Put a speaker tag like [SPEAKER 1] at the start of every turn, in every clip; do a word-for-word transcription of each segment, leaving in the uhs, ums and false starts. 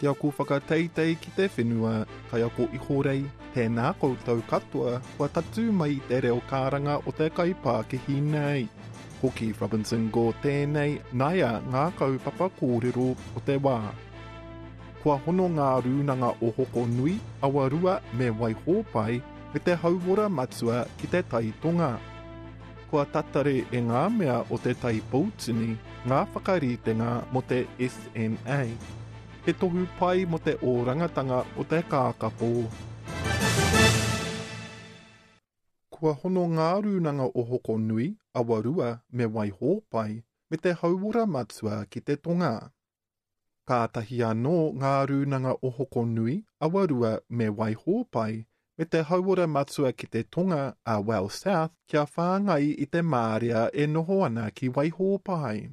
[SPEAKER 1] Ki aku whakateitei ki te whenua, kaiako ihorei, tēnā koutou katoa kua tatū mai te reo karanga o te kaipākihi nei. Ko Keith Robinson Gore tēnei, naia ngā kaupapa kōrero o te wā. Kua hono ngā rūnanga o Hokonui, Awarua me Waihōpai me te hauora matua ki te Tai Tonga. Kua tatari e ngā mea o te Tai Poutini ngā whakaritenga mō te S N A. He tohu pai mō te orangatanga o te kākapō. Kua hono ngā rūnanga o Hokonui, Awarua me Waihōpai me te hauora matua ki te tonga. Kātahi anō ngā rūnanga o Hokonui, Awarua me Waihōpai me te hauora matua ki te tonga a Well South kia whāngai i te mārea e noho ana ki Waihōpai.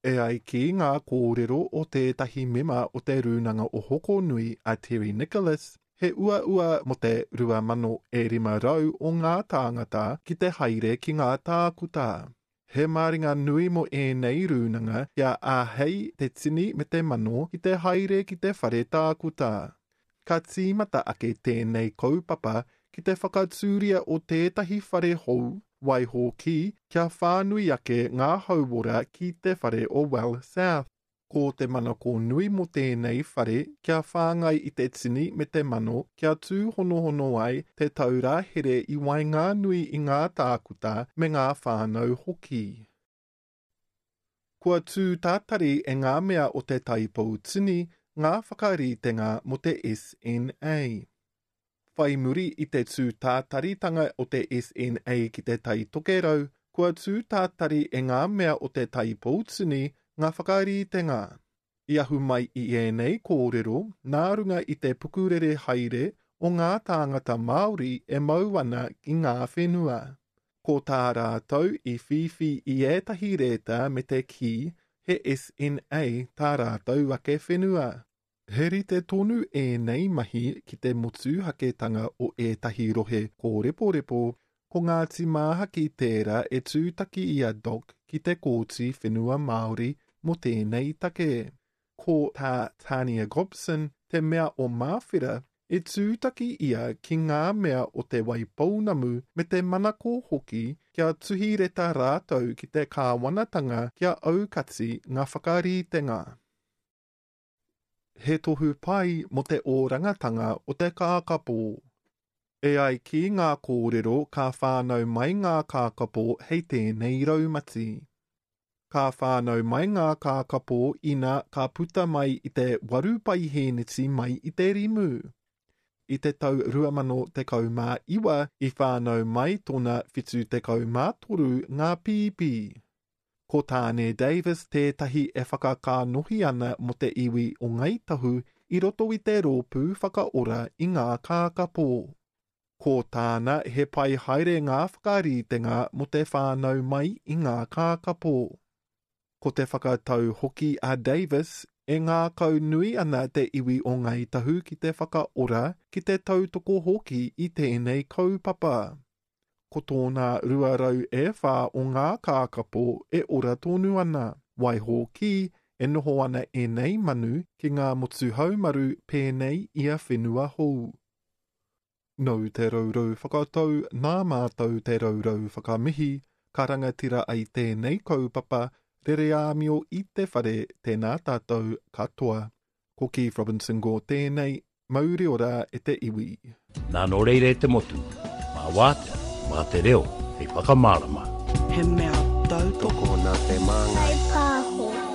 [SPEAKER 1] E ai ki ngā kōrero o tētahi mema o te rūnanga o Hokonui a Terry Nicholas, he uaua mō te rua mano e rima rau o ngā tāngata ki te haere ki ngā tākuta. He māringa nui mō ēnei rūnanga kia āhei te tini me te mano ki te haere ki te whare tākuta. Ka tīmata ake tēnei kaupapa ki te whakatūria o tētahi whare hou, waiho ki kia whānui ake ngā hauora ki te whare o Well South. Ko te manako nui mō tēnei whare kia whāngai i te tini me te mano kia tūhonohono ai te taura here i waenganui i ngā tākuta me ngā whānau hoki. Kua tū tātari e ngā mea o te Tai Poutini ngā whakaritenga mō te S N A. Whai muri i te tū tātaritanga o te S N A ki te Tai Tokerau, kua tū tātari e ngā mea o te Tai Poutini ngā whakaritenga. I ahu mai i ēnei kōrero, nā runga i te pukurere haere o ngā tāngata Māori e mau ana ki ngā whenua. Ko tā rātou i whiwhi i ētahi rēta me te kī he S N A tā rātou ake whenua. He rite tonu ēnei mahi ki te motuhaketanga o ētahi rohe kōreporepo, ko Ngāti Māhaki tērā e tūtaki i a Doc ki te Kōti Whenua Māori mō tēnei take. Ko tā Tania Gobson, te mea o Māwhera, e tūtaki ia ki ngā mea o te Waipounamu me te manako hoki kia tuhi reta rātou ki te kāwanatanga kia aukati ngā whakaritenga. He tohu pai mō te orangatanga o te kākapō. E ai ki ngā kōrero ka whānau mai ngā kākapō hei tēnei raumati. Ka whānau mai ngā kākapō ina ka puta mai i te waru paihēneti mai i te rimu. I te tau rua mano tekau mā iwa i whānau mai tōna whitu tekau mā toru ngā pīpī. Ko Tāne Davis tētahi e whakakānohi ana mō te iwi o Ngāi Tahu i roto i te rōpū whakaora i ngā kākapō. Ko tāna he pai haere ngā whakaritenga mō te whānau mai i ngā kākapō. Ko te whakatau hoki a Davis e ngākau nui ana te iwi o Ngāi Tahu ki te whakaora ki te tautoko hoki i tēnei kaupapa. Ko tōna rua rau e whā o ngā kākapō e ora tonu ana. Waiho ki e noho ana ēnei manu ki ngā motu haumaru pēnei i a whenua hou. Nau te raurau whakatau, nā mātou te raurau whakamihi, ka rangatira ai tēnei kaupapa, rere āmio i te whare, tēnā tātou katoa. Ko Keith Robinson Gore tēnei, mauri ora e te iwi.
[SPEAKER 2] Nā nō reire te motu, mā wātea, mā te reo, hei whakamārama.
[SPEAKER 3] He mea tautoko
[SPEAKER 4] nā te māngai.
[SPEAKER 5] Kai pāho.